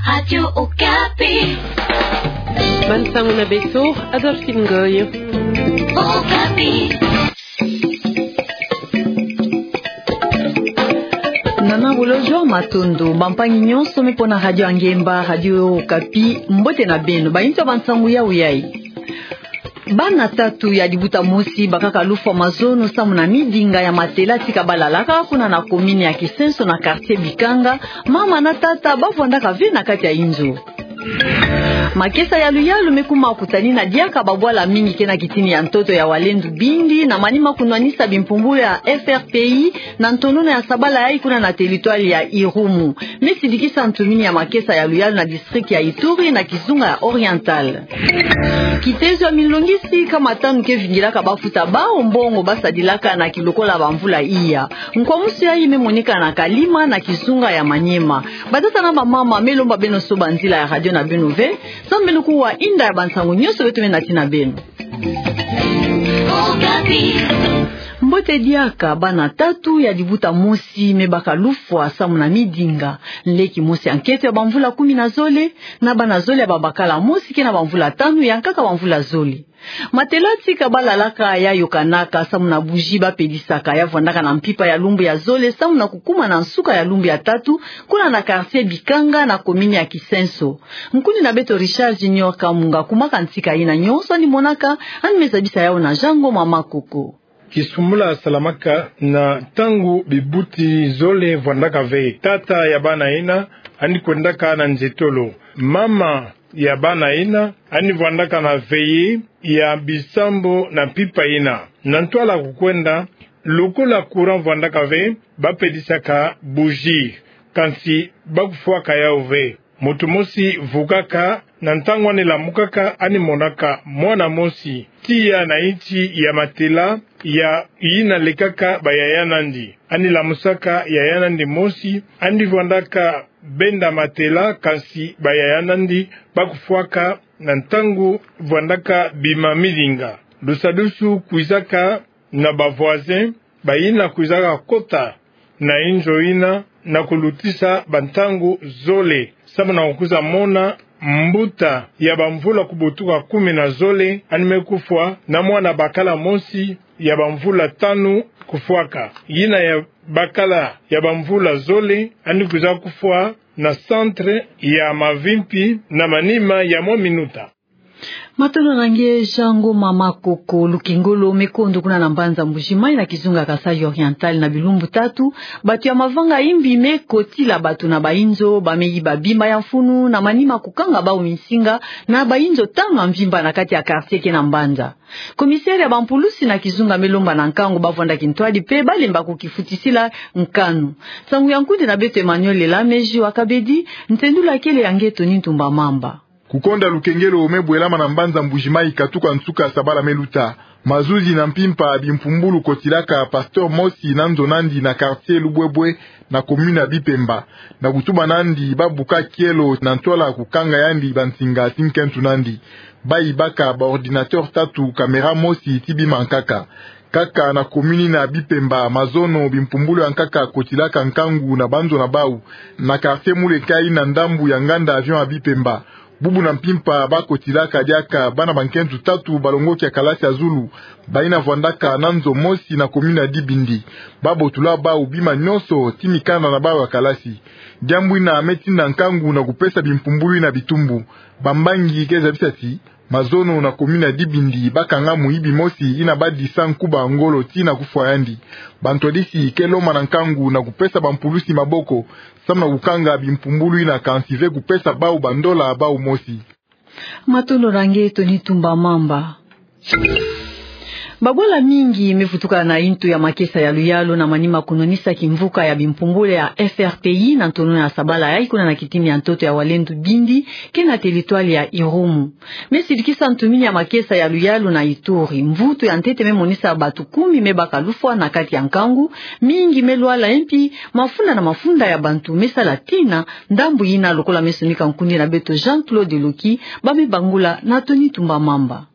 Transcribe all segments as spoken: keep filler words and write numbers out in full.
Radio Okapi. Bansango na beto, Adolphine Ngoy. Okapi. Nana bolojo, matondo. Bampangi nyonso me pona Radio Angemba, Radio Okapi, mbote na beno. Bayinzo ya bansango yau yai. Bana tatu ya dibuta mosi bakaka lufwa mazono samu na midinga ya matela tika balalaka kuna na commune ya Kisenso na quartier Bikanga, mama na tata bavwandaka ve na kati ya inzo. Makesa ya luyalu me kuma kutani na diaka babwala mingi ke na kitini ya ntoto ya Walendu Bindi na manima kunwanisa bimpumbulu ya F R P I na ntonono ya sabala yai kuna na territoire ya Irumu. Me sidikisa ntumini ya makesa ya luyalu na district ya Ituri na kizunga ya Oriental. Kitezo ya minlongisi kama tanu ke vingilaka bafuta bawu mbongo basadilaka na kilokola bamvula iya. Nkwamusu yai me moneka na Kalima na kizunga ya Maniema. Batata na bamama, me lomba beno soba nzila ya radio na beno ve, samu beno kuwa inda ya bansango nyonso beto me nati na beno. Mbote diaka. Bana tatu ya dibuta mosi me baka lufwa samu na midinga. Nleki mosi ya nkento ya bamvula kumi na zole, na bana zole ya babakala mosi ke na bamvula tanu, ya nkaka bamvula zole. Matela tika balalaka ya yokanaka samu na bougie bapedisaka, ya vwandaka na mpimpa ya lumbu ya zole samu na kukuma na nsuka ya lumbu ya tatu, kuna na quartier Bikanga na commune ya Kisenso. Nkundi na beto Richard Junior Kamunga kumaka ntika yina nyonso, ani monaka, ani me zabisa yawu na Jean Ngoma Makoko. Kisumbula salamaka na ntangu bibuti zole vwandaka ve. Tata ya bana yina ani kwendaka na nzietolo. Mama ya bana yina ani vwandaka na veillée ya bisambu na mpimpa yina. Na ntwala kukwenda, lokola courant vwandaka ve, bapedisaka bougie, kansi bakufwaka yawu ve. Moto mosi vukaka, na ntangu ani lamukaka, ani monaka mwana mosi tiya na nti ya matela ya yina lekaka bayaya nandi. Ani lamusaka yaya nandi mosi, ani vwandaka benda matela, kansi bayaya nandi bakufwaka na ntangu vwandaka bima midinga. Lusadusu kwizaka na ba voisins, bayina kwizaka kota na inzo yina na kulutisa bantangu zole, samu na kukwiza mona mbuta ya bamvula kubutuka kumi na zole ani me kufwa, na mwana bakala mosi ya bamvula tanu kufwaka. Yina ya bakala ya bamvula zole ani kwiza kufwa na centre ya mavimpi na manima ya mwa minuta. Matondo na nge Jean Ngoma Makoko. Lukengolo me kondo kuna na mbanza Mbuji-Mayi na kizunga Kasaï Oriental na bilumbu tatu, bato ya mavanga imbi me kotila bato na bainzo, ba me yiba bima ya mfunu, na manima kukanga bawu minsinga na bainzo tanu ya mvimba na kati ya quartier ke na mbanza. Commissaire ya bampulusi na kizunga me lomba na nkangu bavwanda kintwadi mpe balemba kukifutisila nkanu. Nsangu ya nkundi na beto Emmanuel Lela Meji wa Kabedi, ntendula kele ya nge Tony Ntumba Mamba. Kukonda lukengelo me bwelama na mbanza Mbuji-Mayi katuka nsuka sabala me luta. Mazuzi na mpimpa bimpumbulu kotilaka pasteur mosi na nzo nandi na quartier Lubwebwe na commune ya Bipemba. Na kutuba nandi babuka kielo na ntwala kukanga yandi bansinga ti nkento nandi. Bayibaka ba ordinateur tatu, caméra mosi ti bima nkaka. Kaka na commune na Bipemba, mazono bimpumbulu ya nkaka kotilaka nkangu na banzo na bawu, na quartier Mulekai na ndambu ya nganda avion ya Bipemba. Bubu na mpimpa bakotilaka diaka bana bankento tatu balongoki ya kalasi ya zulu, bayina vwandaka na nzo mosi na commune ya Dibindi. Babotula bawu bima nyonso ti mikanda na bawu ya kalasi. Diambu yina me tinda nkangu na kupesa bimpumbulu yina bitumbu. Bambangi ke zabisa ti mazono na commune ya Dibindi bakanga muyibi mosi yina badisa nkuba ngolo tii na kufwa yandi. Bantwadisi ke lomba na nkangu na kupesa bampulusi maboko, samu na kukanga bimpumbulu yina kansi ve kupesa bawu bandola bawu mosi. Matondo na nge Tony Ntumba Mamba. Babwala mingi me vutuka na yintu ya makesa ya luyalu na manima kunwanisa kimvuka ya bimpumbulu ya F R P I na ntonono ya sabala yai kuna na kitini ya ntoto ya Walendu Bindi, ke na territoire ya Irumu. Me sidikisa ntumini ya makesa ya luyalu na Ituri. Mvutu ya ntete me monisa bato kumi me baka lufwa na kati ya nkangu, mingi me lwala, mpi mafunda na mafunda ya bantu me sala tina. Ndambu yina lokola me sonika nkundi na beto Jean-Claude Loki, ba me bangula na Tony Ntumba Mamba.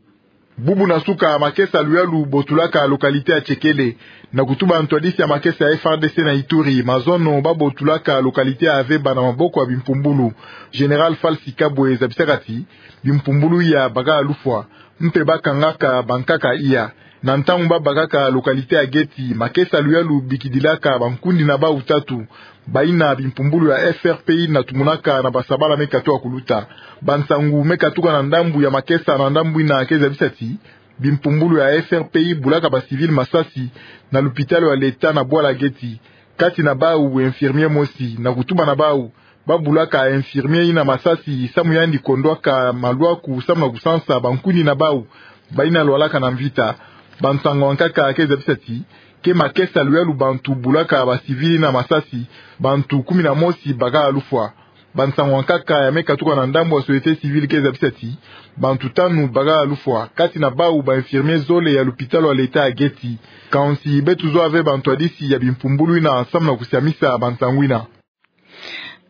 Bubu na suka, makesa luyalu botulaka localité ya Tchekele. Na kutuba ntwadisi ya makesa ya F A R D C na Ituri, mazono babotulaka localité ya Aveba na maboko ya bimpumbulu. Général Falsi Kabwe zabisaka ti bimpumbulu ya baka lufwa, mpe bakangaka bankaka iya. Na ntangu babakaka localité ya Geti, makesa luyalu bikidilaka bankundi na bau tatu, bayina bimpumbulu ya F R P I na tumunaka na basabala me katuka kuluta. Bansangu me katuka na ndambu ya makesa na ndambu yina ke zabisa ti bimpumbulu ya F R P I bulaka ba civil masasi na lupitalu ya leta na bwala Geti. Kati na bau, infirmier mosi, na kutuba na bau, babulaka infirmier yina masasi samu yandi kondwaka malwaku samu na kusansa bankundi na bau bayina lwalaka na mvita. Bansangu ya nkaka ke zabisa ti ke makesa luyalu bantu bulaka ba civil yina masasi, bantu kumi na mosi baka lufwa. Bansangu ya nkaka ya me katuka na ndambu ya société civile ke zabisa ti bantu tanu baka lufwa, kati na bau ba infirmier zole ya lupitalu ya leta ya Geti. Kansi beto zwa ve bantwadisi ya bimpumbulu yina samu na kusiamisa bansangu yina.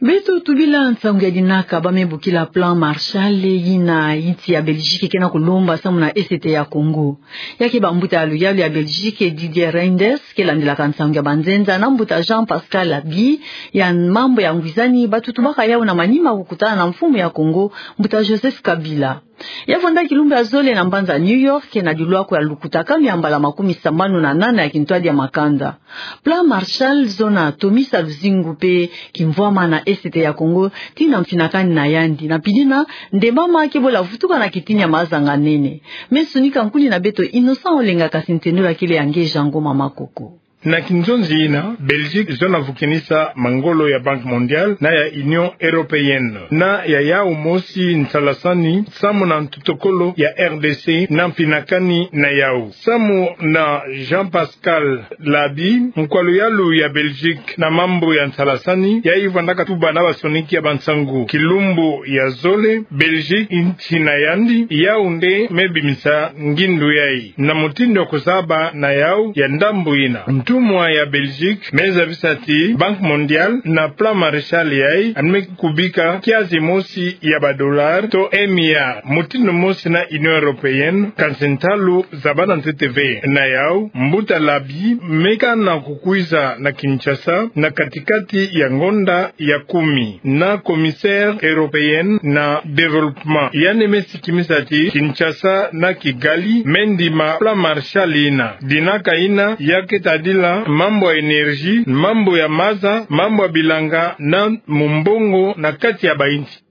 Beto tubila nsangu ya dinaka. Ba me bokila Plan Marshall yina insi ya Belgique ke na kulomba samu na Est ya Congo. Ya ke bambuta ya luyalu ya Belgique, Didier Reynders, ke landilaka nsangu ya banzenza, na mbuta Jean-Pascal Labi ya mambu ya ngwizani, batutubaka yau na manima kukutana na mfumu ya Congo, mbuta Joseph Kabila. Ya vwanda kilumbu ya zole na mbanza New York, na dilwako ya lukutakanu ya mbala makumi sambanu na nana ya kintwadi ya makanda. Plan Marshall zona tomisa luzingu mpe kimvwama na Est ya Congo, tii na mfinakani na yandi. Na mpidina, Ndemama ke bola vutuka na kitini ya mazanga nene. Me sunika nkuni na beto Innocent Olenga, kasi ntendula kele ya nge Jean Ngoma Makoko. Na kinzonzi yina, Belgique zona vukinisa mangolo ya Banque Mondiale na ya Union Européenne, na ya yau mosi nsalasani samu na ntotokolo ya R D C na mfinakani na yau. Samu na Jean-Pascal Labi, nkwa luyalu ya Belgique na mambu ya nsalasani, yayi vwandaka tuba na basoniki ya bansangu kilumbu ya zole, Belgique, insi na yandi, yau nde me bimisa ngindu yayi na mutindu ya kuzaba na yau ya ndambu yina. Ntumwa ya Belgique me zabisa ti Banque Mondiale na Plan Marshall yayi, yandi me kubika kiasi mosi ya ba dollars to un milliard, mutindu mosi na Union Européenne, kansi ntalu zabana ntete ve. Na yau, mbuta Labi me kana kukwiza na Kinshasa na katikati ya ngonda ya kumi na commissaire européenne na développement. Yandi me sikimisa ti Kinshasa na Kigali me ndima Plan Marshall yina. Dinaka yina ya ke tadila mambu ya énergie, mambu ya maza, mambu ya bilanga na mumbongo na kati ya bayinsi.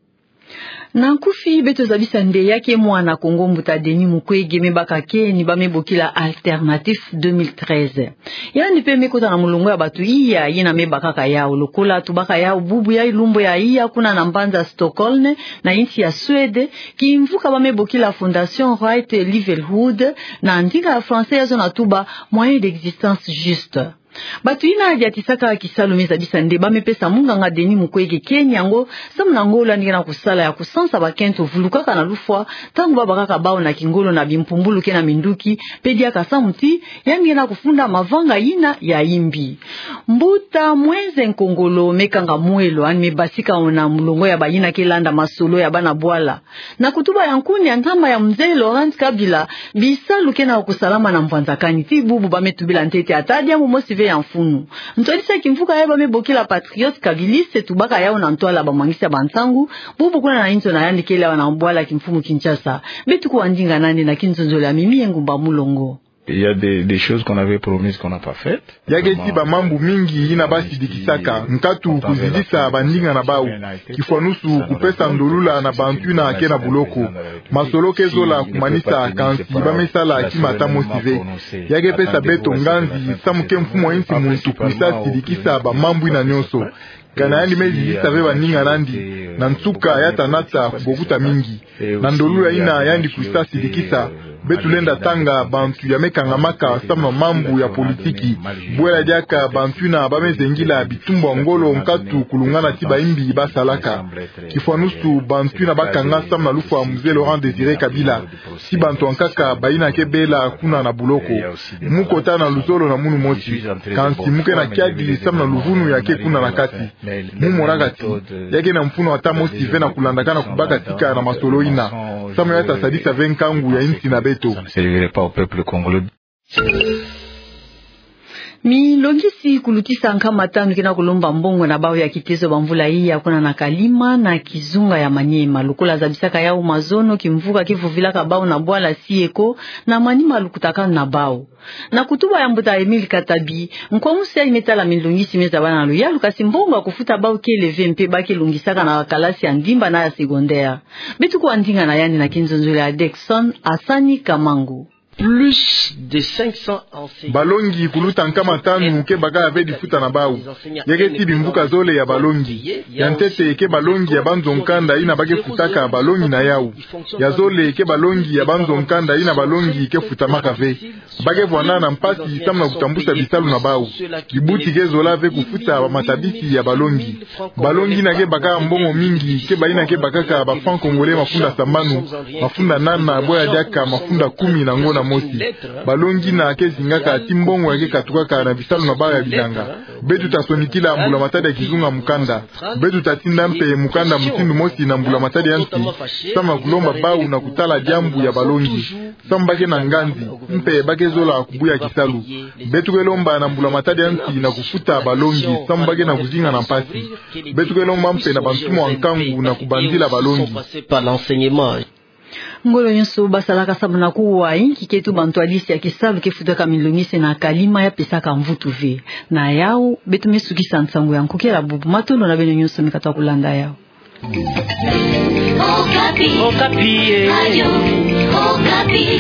Na nkufi, beto zabisa nde ya ke mwana Kongo, mbuta Denis Mukwege, me baka keni ba me bokila Alternatif deux mille treize. Yandi mpe me kota na mulongo ya batu iya yina me bakaka yau. Lokola tubaka yau bubu, yayi lumbu ya iya kuna na mbanza Stockholm, na insi ya Suède, kimvuka ba me bokila Fondation Right Livelihood, na ndinga ya français ya zona tuba moyen d'existence juste. Batu yina diatisaka kisalu me zabisa nde ba me pesa munganga Denis Mukwege keni yango, samu na ngolo yandi ke na kusala ya kusansa bakento vulukaka na lufwa, ntangu ba bakaka bau na kingolo na bimpumbulu ke na minduki, mpe diaka samu ti yandi ke na kufunda mavanga yina ya imbi. Mbuta Mwenze Nkongolo me kanga mwelo, yandi me basika ona mulongo ya bayina ke landa masolo ya bana bwala. Na kutuba ya nkuni ya ntama ya Mzee Laurent Kabila, bisalu ke na kusalama na mvwanzakani. Ti bubu ba me tubila ntete ata diambu mosi ve ya mfunu. Ntwadisi ya kimvuka ya ba me bokila Patriote Kabiliste tubaka yau na ntwala bamwangisi ya bansangu, bubu kuna na inzo na yandi kele awa na bwala kimfumu Kinshasa. Beto kuwa ndinga nandi na kinzonzolo ya Mimi Engumba Mulongo. Il y a des, des choses qu'on avait promises qu'on n'a pas faites. Ya ke ti bamambu mingi yina ba sidikisaka, nkatu kuzizisa bandinga na bau. Kifwanusu kupesa ndolula na bantu yina ke na buloko. Masolo ke zola kumanisa, kansi ba me sala kima ata mosi ve. Ya ke pesa beto nganzi samu ke mfumu a insi muntu kwisa sidikisa bamambu yina nyonso. Kana yandi me zizisa ve bandinga nandi, na nsuka ya ta nata kubokuta mingi. Na ndolula yina yandi kwisa sidikisa, beto lenda tanga bantu ya me kangamaka samu na mambu ya politiki. Bwela diaka bantu yina ba me zengila bitumbu ya ngolo nkatu kulungana ti bayimbi ba salaka. Kifwanusu bantu yina ba kanga samu na lufwa Mzee Laurent Désiré Kabila, ti bantu ya nkaka bayina ke bela kuna na buloko. Mu kota na luzolo na munu mosi, kansi mu ke na kiadi samu na luvunu ya ke kuna na kati. Mu monaka ti ya ke na mfunu ata mosi ve na kulandakana kubakatika na masolo yina. Samu ya ta sadisa ve nkangu ya insi na beto. Milongisi kulutisa nkama tanu ke na kulomba mbongo na bau ya kitezo bamvula iya kuna na Kalima na kizunga ya Maniema. Lokola zabisaka yau mazono, kimvuka kivuvilaka bau na bwala Sieko na Maniema lukutakanu na bau. Na kutuba ya mbuta Emile Katabi, nkwamusu yai me tala milongisi me zabana na luyalu, kasi mbongo ya kufuta bau kele ve mpe ba ke longisaka na kalasi ya ndimba na ya secondaire. Beto kuwa ndinga na yandi na kinzonzolo ya Dexon Asani Kamangu. Plus de cinq cents enseignants. Balongi kuluta nkama tanu ke baka ve difuta na bau. Ya ke ti bimvuka zole ya balongi. Ya ntete ke balongi ya banzo nkanda yina ba ke futaka balongi na yau. Ya zole ke balongi ya banzo nkanda yina balongi ke futamaka ve. Ba ke vwanda na mpasi samu na kutambusa bisalu na bau. Kibuti ke zola ve kufuta bamatabisi ya balongi. Balongi yina ke baka mbongo mingi ke bayina ke bakaka ba francs congolais mafunda sambanu, mafunda nana, bwe ya diaka mafunda kumi na ngona mosi. Balongi yina ke zingaka ti mbongo ya ke katukaka na bisalu na bau ya bilanga. Beto ta sonikila mbula matadi ya kizunga mukanda. Beto ta tinda mpe mukanda mutindu mosi na mbula matadi ya nsi, samu na kulomba bau na kutala diambu ya balongi. Samu ba ke na nganzi, mpe ba ke zola kubuya kisalu. Beto ke lomba na mbula matadi ya nsi na kufuta balongi, samu ba ke na kuzinga na mpasi. Beto ke lomba mpe na bantumwa nkangu na kubanzila balongi. Ngolo nyonso basalaka samu na kuwa inki ketu bantwadisi ya kisalu ke futaka milongisi na Kalima ya pesaka mvutu ve. Na yau, beto me sukisa nsangu ya nkokela bubu, matondo na beno nyonso me katuka kulanda yau. Okapi. Okapi, eh. Radio Okapi.